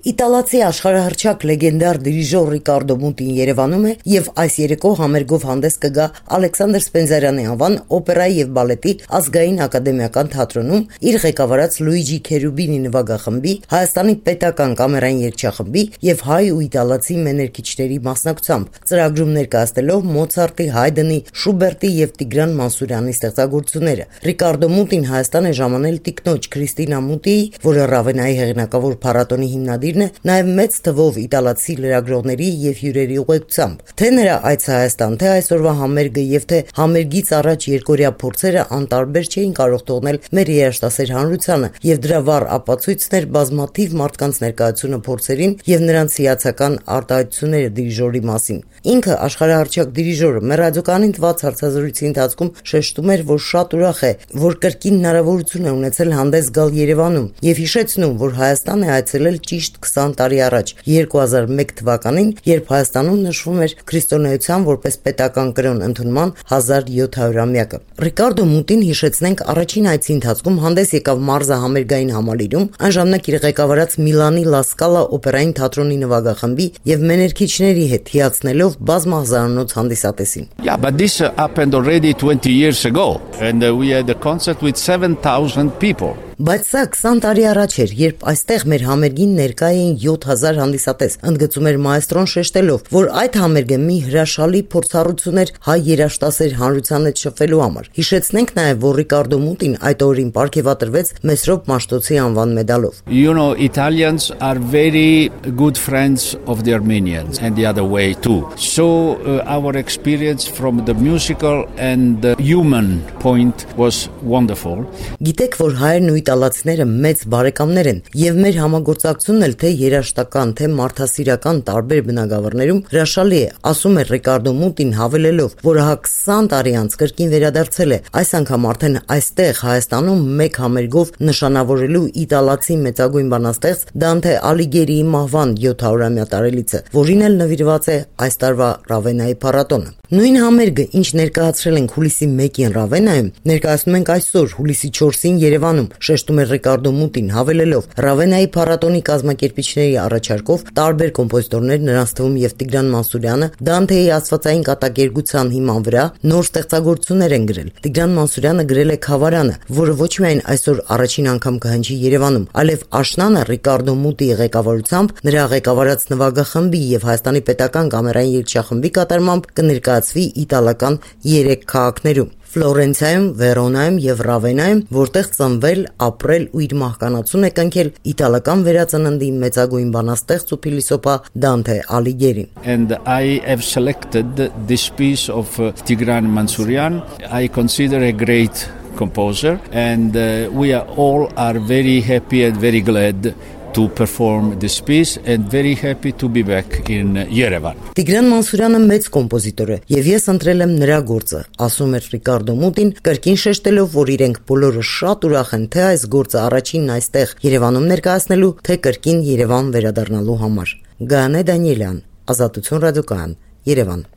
Իտալացի աշխարհահռչակ լեգենդար դիրիժոր Ռիկարդո Մուտին Երևանում է եւ այս երեկո համերգով հանդես կգա Ալեքսանդր Սպենզարյանի անվան օպերայի եւ բալետի ազգային ակադեմիական թատրոնում իր ղեկավարած Լուիջի Քերուբինի նվագախմբի, Հայաստանի պետական կամերային երգչախմբի եւ հայ ու իտալացի մեներկիչների մասնակցությամբ ծրագրում ներկայացնելով Մոցարտի, Հայդենի, Շուբերտի եւ Տիգրան Մանսուրյանի ստեղծագործությունները։ Ռիկարդո Մուտին Հայաստան է ժամանել տիկնոջ Քրիստինա Մուտիի, որը Ռավենայի հեղինակավոր փառատոնի հիմնադիրն է, նաև մեծ թվով իտալացի լրագրողների եւ հյուրերի ուղեկցությամբ։ Թե նրա այցը Հայաստան, թե այսօրվա համերգը եւ թե համերգից առաջ երկօրյա փորձերը անտարբեր չէին կարող թողնել մեր երաժշտասեր հանրությանը եւ դրա վառ ապացույցն էր բազմաթիվ մարդկանց ներկայությունը փորձերին եւ նրանց հիացական արտահայտությունները դիրիժորի մասին։ Ինքը աշխարհահռչակ դիրիժորը մեր ռադիոկայանին տված հարցազրույցի ընթացքում շեշտում էր, որ շատ ուրախ է, որ կրկին հնարավորություն է ունեցել հանդես գալ Երևանում եւ հիշեցնում, որ Հայաստան է այցելել ճիշտ 20 տարի առաջ 2001 թվականին, երբ Հայաստանում նշվում էր քրիստոնեության որպես պետական կրոն ընդունման 1700-ամյակը։ Ռիկարդո Մուտին, հիշեցնենք, առաջին այցի ընթացքում հանդես եկավ մարզա համերգային համալիրում, այն ժամանակ իր ղեկավարած Միլանի Լա Սկալա օպերային թատրոնի նվագախմբի եւ մեներկիչների հետ հիացնելով բազմահազարանոց հանդիսատեսին։ Yeah, but this happened already 20 years ago and we had a concert with 7,000 people. Բայց սա 20 տարի առաջ էր, երբ այստեղ մեր համերգին ներկա էին 7000 հանդիսատես, ընդգծում էր մայստրոն շեշտելով, որ այդ համերգը մի հրաշալի փորձառություն էր հայ երաժշտասեր հանրության հետ շփվելու համար։ Հիշեցնենք նաև, որ Ռիկարդո Մուտին այդ օրին պարգևատրվեց Մեսրոպ Մաշտոցի անվան մեդալով։ You know, Italians are very good friends of the Armenians and the other way too. So our experience from the musical and the human point was wonderful. Գիտեք, որ հայերն ու իտալացիները մեծ բարեկամներ են եւ մեր համագործակցությունն էլ թե երաժշտական, թե մարդասիրական տարբեր բնագավառներում հրաշալի է, ասում է Ռիկարդո Մուտին, հավելելով, որ հա 20 տարի անց կրկին վերադարձել է, այս անգամ արդեն այստեղ Հայաստանում մեկ համերգով նշանավորելու իտալացի մեծագույն բանաստեղծ Դանթե Ալիգերիի մահվան 700-ամյա տարելիցը, որին էլ նվիրված է այս տարվա Ռավենայի փառատոնը։ Նույն համերգը, ինչ ներկայացրել ենք հուլիսի 1-ին Ռավենայում, ներկայացնում ենք այսօր հուլիսի 4-ին Երևանում, շեշտում է Ռիկարդո Մուտին, հավելելով, Ռավենայի փառատոնի կազմակերպիչների առաջարկով տարբեր կոմպոզիտորներ, նրանց թվում եւ Տիգրան Մանսուրյանը, Դանթեի աստվածային կատակերգության հիման վրա նոր ստեղծագործություններ են գրել։ Տիգրան Մանսուրյանը գրել է Խավարանը, որը ոչ միայն այսօր առաջին անգամ կհնչի Երևանում, այլև աշնանը Ռիկարդո Մուտիի ղեկավարությամբ, նրա ղեկավարած նվագախմբի եւ Հայաստանի պետական կամերային երգչախմբի կատարմամբ կներկայացվի իտալական 3 քաղաքներում՝ Ֆլորենցիայում, Վերոնայում եւ Ռավենայում, որտեղ ծնվել, ապրել ու իր մահկանացուն է կնքել իտալական վերածննդի մեծագույն բանաստեղծ ու փիլիսոփա Դանթե Ալիգերին։ And I have selected this piece of Tigran Mansourian. I consider a great composer and we all are very happy and very glad to perform this piece and very happy to be back in Yerevan. Տիգրան Մանսուրյանը մեծ կոմպոզիտոր է եւ ես ընտրել եմ նրա գործը, ասում է Ռիկարդո Մուտին, կրկին շեշտելով, որ իրենք բոլորը շատ ուրախ են թե այս գործը առաջինն այստեղ Երևանում ներկայացնելու, թե կրկին Երևան վերադառնալու համար։ Գայանե Դանիելյան, Ազատություն ռադիոկայան, Երևան։